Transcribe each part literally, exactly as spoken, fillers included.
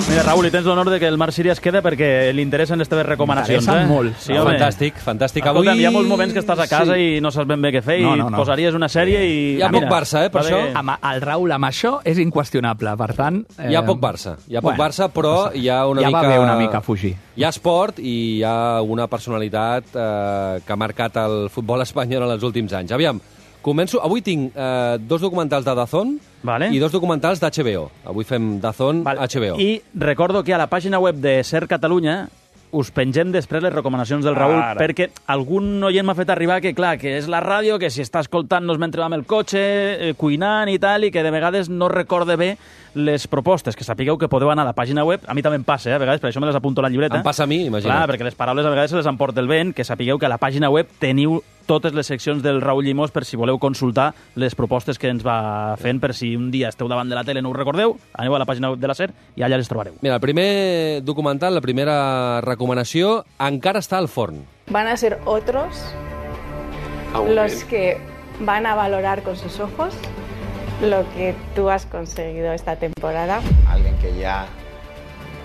Mira, Raül, i tens l'honor de que el Marc Siri es queda perquè li interessen les teves recomanacions. M'interessen eh? molt. Sí, no, home. fantàstic, fantàstic. Escolta, Avui... hi ha molts moments que estàs a casa sí. i no saps ben bé què fer No, i no, no. posaries una sèrie i... Hi ha mira, poc Barça, eh, per va això. bé. Amb el Raül, amb això, és inqüestionable. Per tant... Hi ha poc Barça, hi ha poc bueno, Barça, però hi ha una ja mica... va bé una mica fugir. Hi ha esport i hi ha una personalitat eh, que ha marcat el futbol espanyol en els últims anys. Aviam, començo... Avui tinc eh, dos documentals de Dazón Vale. i dos documentals d'H B O. Avui fem Dazón, Val. H B O. I recordo que a la pàgina web de Ser Catalunya us pengem després les recomanacions del Raül, Ara. perquè algun oient m'ha fet arribar que, clar, que és la ràdio, que si està escoltant-nos mentre va amb el cotxe, eh, cuinant i tal, i que de vegades no recorde bé les propostes, que sapigueu que podeu anar a la pàgina web. A mi també em passa, eh, a vegades, per això me les apunto a la llibreta. Em passa a mi, imagina't. Clar, perquè les paraules a vegades se les emporta el vent, que sapigueu que a la pàgina web teniu totes les seccions del Raül Llimós per si voleu consultar les propostes que ens va fent, per si un dia esteu davant de la tele i no us recordeu, aneu a la pàgina web de la SER i allà les trobareu. Mira, el primer documental, la primera recomanació, encara està al forn. Van a ser otros los que van a valorar con sus ojos lo que tú has conseguido esta temporada. Alguien que ya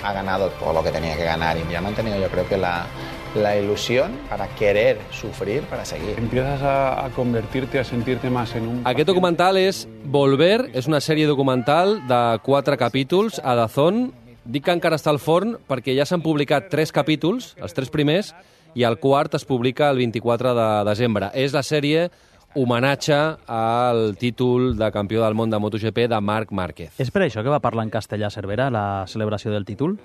ha ganado todo lo que tenía que ganar y ya ha mantenido, yo creo que la, la ilusión para querer sufrir, para seguir. Empiezas a, a convertirte, a sentirte más en un... Aquest documental és Volver, és una sèrie documental de quatre capítols a Dazón. Dic que encara està al forn perquè ja s'han publicat tres capítols, els tres primers, i el quart es publica el vint-i-quatre de desembre. És la sèrie homenatge al títol de campió del món de MotoGP de Marc Márquez. És per això que va parlar en castellà Cervera, la celebració del títol?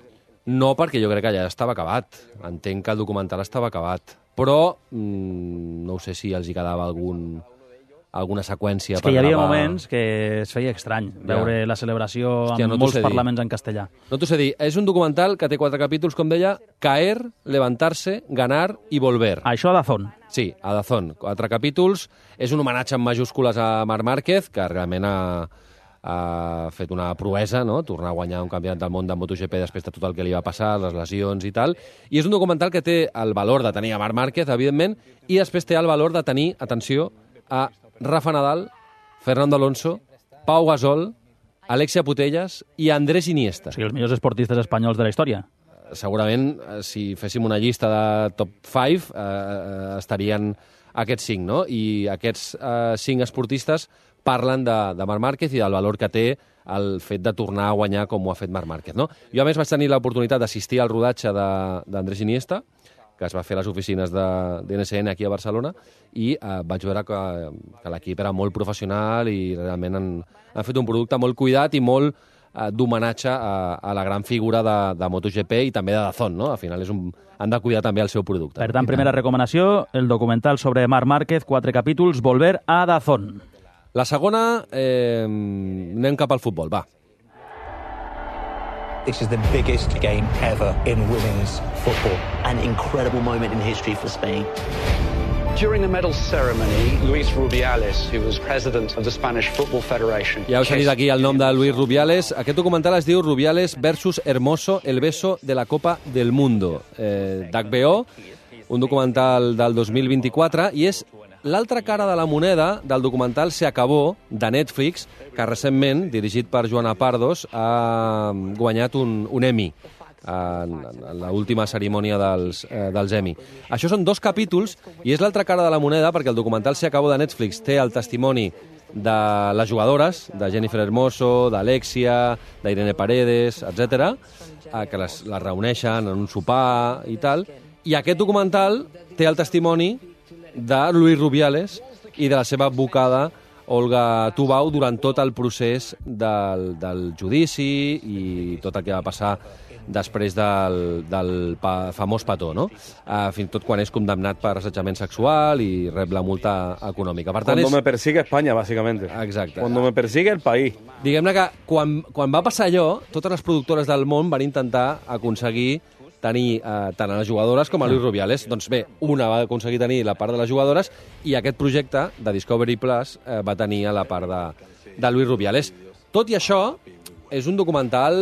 No, perquè jo crec que ja estava acabat. Entenc que el documental estava acabat. Però mmm, no sé si els hi quedava algun, alguna seqüència És per que hi havia gravar. moments que es feia estrany veure la celebració Hòstia, amb no t'ho molts sé dir. parlaments en castellà. No t'ho sé dir. És un documental que té quatre capítols, com deia, Caer, Levantarse, Ganar i Volver. Això a Dazón. Sí, a Dazón. Quatre capítols. És un homenatge en majúscules a Marc Márquez, que realment ha, ha fet una proesa, no?, tornar a guanyar un campionat del món de MotoGP després de tot el que li va passar, les lesions i tal. I és un documental que té el valor de tenir a Marc Márquez, evidentment, i després té el valor de tenir, atenció, a Rafa Nadal, Fernando Alonso, Pau Gasol, Alexia Putellas i Andrés Iniesta. O sigui, els millors esportistes espanyols de la història. Segurament, eh, si féssim una llista de top cinc, eh, estarien aquests cinc, no? I aquests eh, cinc esportistes parlen de, de Marc Márquez i del valor que té el fet de tornar a guanyar com ho ha fet Marc Márquez, no? Jo, a més, vaig tenir l'oportunitat d'assistir al rodatge d'Andrés Iniesta, que es va fer a les oficines de, de N S N aquí a Barcelona, i eh, vaig veure que, que l'equip era molt professional i realment han, han fet un producte molt cuidat i molt eh, d'homenatge a, a la gran figura de, de MotoGP i també de Dazón, no? Al final és un, han de cuidar també el seu producte. Per tant, primera recomanació, el documental sobre Marc Márquez, quatre capítols, Volver a Dazón. La segona, eh, anem cap al futbol, va. This is the biggest game ever in women's football. An incredible moment in history for Spain. During the medal ceremony, Luis Rubiales, who was president of the Spanish Football Federation... Ja heu sentit aquí el nom de Luis Rubiales. Aquest documental es diu Rubiales versus Hermoso, el beso de la Copa del Mundo, eh, d'H B O, un documental del dos mil vint-i-quatre, i és l'altra cara de la moneda del documental Se Acabó, de Netflix, que recentment, dirigit per Joana Pardos, ha guanyat un, un Emmy en, en l'última cerimònia dels, eh, dels Emmy. Això són dos capítols i és l'altra cara de la moneda perquè el documental Se Acabó de Netflix té el testimoni de les jugadores, de Jennifer Hermoso, d'Alexia, d'Irene Paredes, etcètera, eh, que les, les reuneixen en un sopar i tal. I aquest documental té el testimoni de Luis Rubiales i de la seva advocada Olga Tubau durant tot el procés del, del judici i tot el que va passar després del, del pa, famós petó, no? Uh, fins i tot quan és condemnat per assetjament sexual i rep la multa econòmica. Per tant, Cuando és... me persigue España, básicamente. Exacte. Cuando me persigue el país. Diguem-ne que quan, quan va passar allò, totes les productores del món van intentar aconseguir tenir eh, tant a les jugadores com a Luis Rubiales. Doncs bé, una va aconseguir tenir la part de les jugadores i aquest projecte de Discovery Plus eh, va tenir a la part de, de Luis Rubiales. Tot i això, és un documental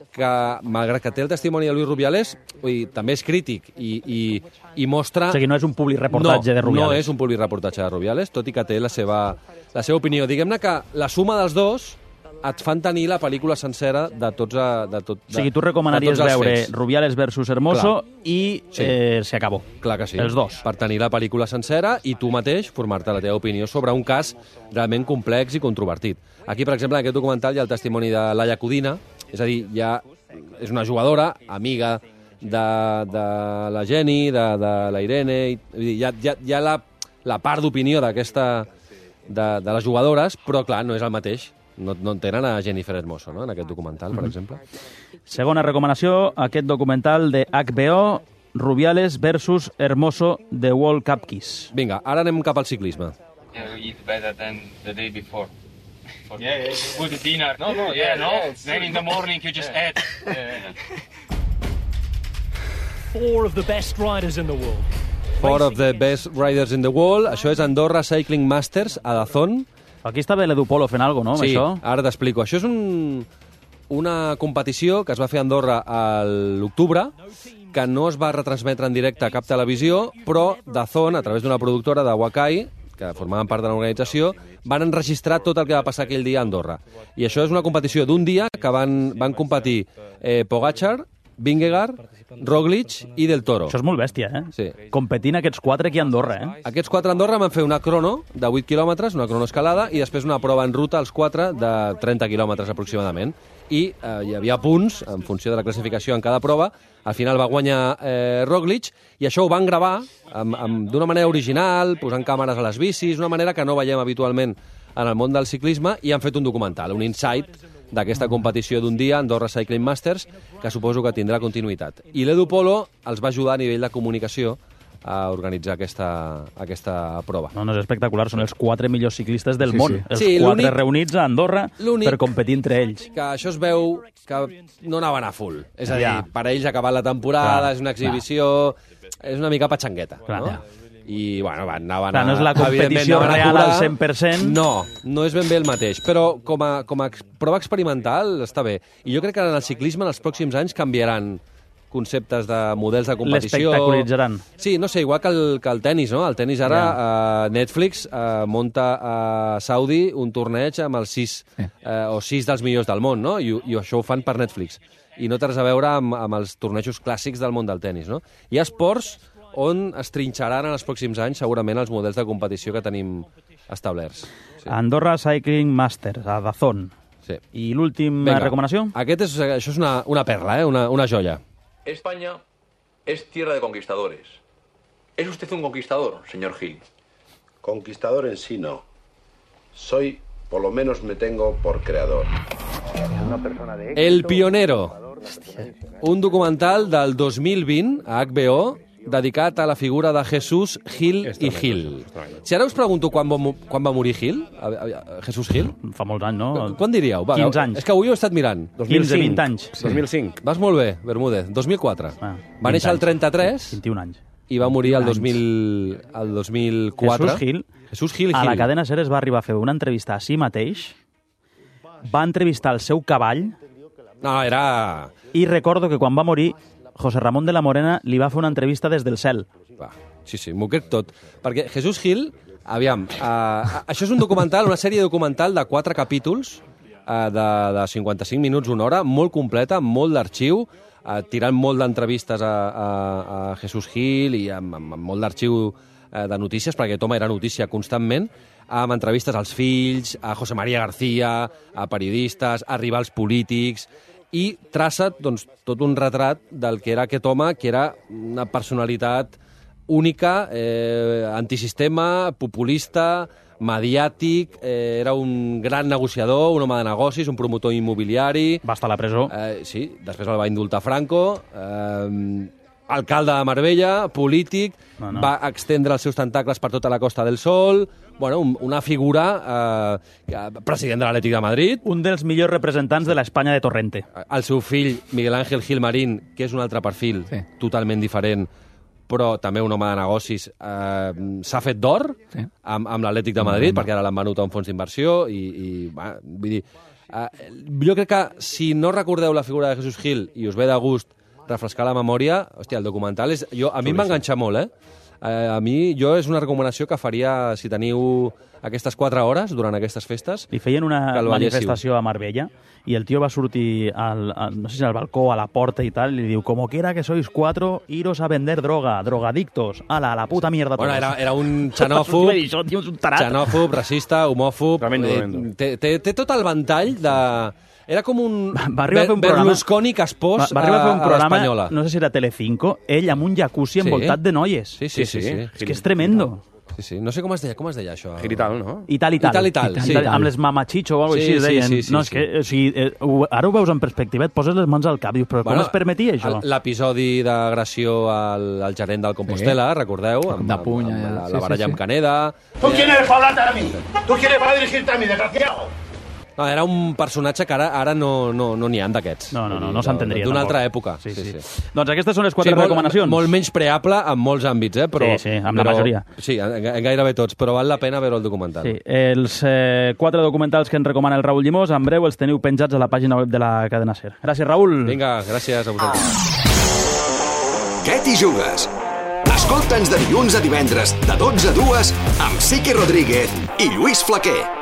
que, malgrat que té el testimoni de Luis Rubiales, vull dir, també és crític i, i, i mostra... O sigui, no és un publireportatge no, de Rubiales. No és un publireportatge de Rubiales, tot i que té la seva, la seva opinió. Diguem-ne que la suma dels dos et fan tenir la pel·lícula sencera de tots... A, de tot, de, o sigui, tu recomanaries veure fets. Rubiales versus Hermoso Clar. i sí. eh, se acabó. Clar que sí. Els dos. Per tenir la pel·lícula sencera i tu mateix formar-te la teva opinió sobre un cas realment complex i controvertit. Aquí, per exemple, en aquest documental hi ha el testimoni de Laia Codina, és a dir, ja és una jugadora, amiga de, de la Jenny, de, de la Irene, i, hi ha, hi ha, hi ha la, la part d'opinió d'aquesta de, de les jugadores, però clar, no és el mateix. No, no entenen a Jennifer Hermoso, no?, en aquest documental, per exemple. Segona recomanació, aquest documental de H B O, Rubiales versus Hermoso, The World Cup Kiss. Vinga, ara anem cap al ciclisme. Yeah, we eat better than the day before. For yeah, yeah, with the dinner. No, no, yeah, yeah no. Yeah, then in the morning you just yeah. add. Yeah. Four of the best riders in the world. Four of the best riders in the world. Això és Andorra Cycling Masters, a Dazón. Aquí està bé l'Edu Polo fent alguna cosa, no, sí, amb això? Sí, ara t'explico. Això és un, una competició que es va fer a Andorra a l'octubre, que no es va retransmetre en directe a cap televisió, però Dazón, a través d'una productora de Wakai, que formaven part de l'organització, van enregistrar tot el que va passar aquell dia a Andorra. I això és una competició d'un dia que van, van competir eh, Pogačar, Vingegaard, Roglic i Del Toro. Això és molt bèstia, eh? Sí. Competint aquests quatre aquí a Andorra, eh? Aquests quatre a Andorra van fer una crono de vuit quilòmetres, una cronoescalada, i després una prova en ruta, els quatre, de trenta quilòmetres aproximadament. I eh, hi havia punts, en funció de la classificació en cada prova. Al final va guanyar eh, Roglic, i això ho van gravar d'una manera original, posant càmeres a les bicis, una manera que no veiem habitualment en el món del ciclisme, i han fet un documental, un insight d'aquesta competició d'un dia, Andorra Cycling Masters, que suposo que tindrà continuïtat. I l'Edu Polo els va ajudar a nivell de comunicació a organitzar aquesta, aquesta prova. No, no, és espectacular, són els quatre millors ciclistes del sí, món, sí. els sí, quatre reunits a Andorra per competir entre ells. Que això es veu que no anaven a full, és a dir, ja. per ells ha acabat la temporada, clar, és una exhibició, clar. és una mica patxangueta, clar, no? Ja. I, bueno, van, anaven Clar, no és la competició real al cent per cent. No, no és ben bé el mateix, però com a, com a prova experimental està bé. I jo crec que en el ciclisme en els pròxims anys canviaran conceptes de models de competició. L'espectaculitzaran. Sí, no sé, igual que el, que el tennis, no? El tennis ara, yeah. uh, Netflix uh, monta a Saudi un torneig amb els sis, uh, o sis dels millors del món, no? I, i això ho fan per Netflix. I no té res a veure amb, amb els tornejos clàssics del món del tennis, no? Hi ha esports on es trinxaran en els pròxims anys segurament els models de competició que tenim establerts. Sí. Andorra Cycling Masters, a Dazón. Sí. I l'última recomanació? Aquest és, això és una, una perla, eh? una, una joia. España es tierra de conquistadores. ¿Es usted un conquistador, señor Gil? Conquistador en sí no. Soy, por lo menos me tengo por creador. El Pionero. Un documental del dos mil vint a H B O dedicat a la figura de Jesús Gil i Gil. Si ara us pregunto quan va, quan va morir Gil, Jesús Gil... Fa molts anys, no? Quan, quan diríeu? Va, quinze anys. És que avui ho he estat mirant. quinze, vint anys. Sí. dos mil cinc. Vas molt bé, Bermúdez. dos mil quatre. Ah, va néixer el trenta-tres. vint i un anys. I va morir el dos mil, el dos mil quatre. Jesús Gil, Jesús Gil, a Gil. la cadena SER es va arribar a fer una entrevista a si mateix, va entrevistar el seu cavall... No, era... I recordo que quan va morir, José Ramón de la Morena li va fer una entrevista des del cel. Va, sí, sí, m'ho crec tot. Perquè Jesús Gil, aviam, uh, això és un documental, una sèrie documental de quatre capítols, uh, de, de cinquanta-cinc minuts, una hora, molt completa, amb molt d'arxiu, uh, tirant molt d'entrevistes a, a, a Jesús Gil i amb, amb, amb molt d'arxiu uh, de notícies, perquè aquest home era notícia constantment, amb entrevistes als fills, a José María García, a periodistes, a rivals polítics, i traça doncs, tot un retrat del que era aquest home, que era una personalitat única, eh, antisistema, populista, mediàtic, eh, era un gran negociador, un home de negocis, un promotor immobiliari... Va estar a la presó. Eh, sí, després el va indultar Franco, eh, alcalde de Marbella, polític, no, no. va extendre els seus tentacles per tota la Costa del Sol... Bueno, una figura, eh, president de l'Atlètic de Madrid. Un dels millors representants de l'Espanya de Torrente. El seu fill, Miguel Ángel Gil Marín, que és un altre perfil, sí. totalment diferent, però també un home de negocis, eh, s'ha fet d'or sí. amb, amb l'Atlètic de Madrid, mm-hmm. perquè ara l'han venut a un fons d'inversió, i, i va, vull dir, eh, jo crec que si no recordeu la figura de Jesús Gil i us ve de gust refrescar la memòria, hòstia, el documental és... Jo, a mi em va enganxar molt, eh? Eh, a mi, jo és una recomanació que faria, si teniu aquestes quatre hores durant aquestes festes... Li feien una que el manifestació a Marbella i el tio va sortir al, al, no sé si al balcó, a la porta i tal, i li diu, como quiera que sois cuatro, iros a vender droga, drogadictos, ala, a la puta mierda. Bueno, era, era un xenòfob, xenòfob, racista, homòfob... Eh, té, té, té tot el ventall de... Era com un, va arribar a fer un Berlusconi caspós va, va arribar a fer un a, a programa, l'Espanyola. no sé si era Telecinco, ell amb un jacuzzi envoltat Sí. de noies. Sí, sí, sí. sí. És que és tremendo. Sí, sí. No sé com es deia, com es deia això? Girital, no? I tal, i tal. I tal, i tal, sí. Amb les mamachicho o alguna Sí, cosa així, sí, deien. sí, sí, no, és sí. que, o sigui, eh, ho- ara ho veus en perspectiva, et poses les mans al cap, dius, però Bueno, com es permetia això? el- L'episodi d'agressió al, al gerent del Compostela, recordeu? Amb, De puny, amb, amb la, sí, la sí, baralla sí. amb Caneda. ¿Tú quién eres para hablarte a mí? ¿Tú quién eres para dirigirte a mí, desgraciado? No, era un personatge que ara, ara no n'hi no, no ha d'aquests. No, no, no, Vull dir, no s'entendria. D'una tampoc. altra època. Sí, sí. Doncs aquestes són les quatre molt, recomanacions. Molt menys preable en molts àmbits, eh? Però, Sí, sí, amb la però, majoria. Sí, en, en gairebé tots, però val la pena veure el documental. Sí, els eh, quatre documentals que ens recomana el Raül Llimós, en breu els teniu penjats a la pàgina web de la cadena SER. Gràcies, Raül. Vinga, gràcies a vosaltres. Què t'hi jugues? Escolta'ns de dilluns a divendres, de dotze a dues, amb Sique Rodríguez i Lluís Flaquer.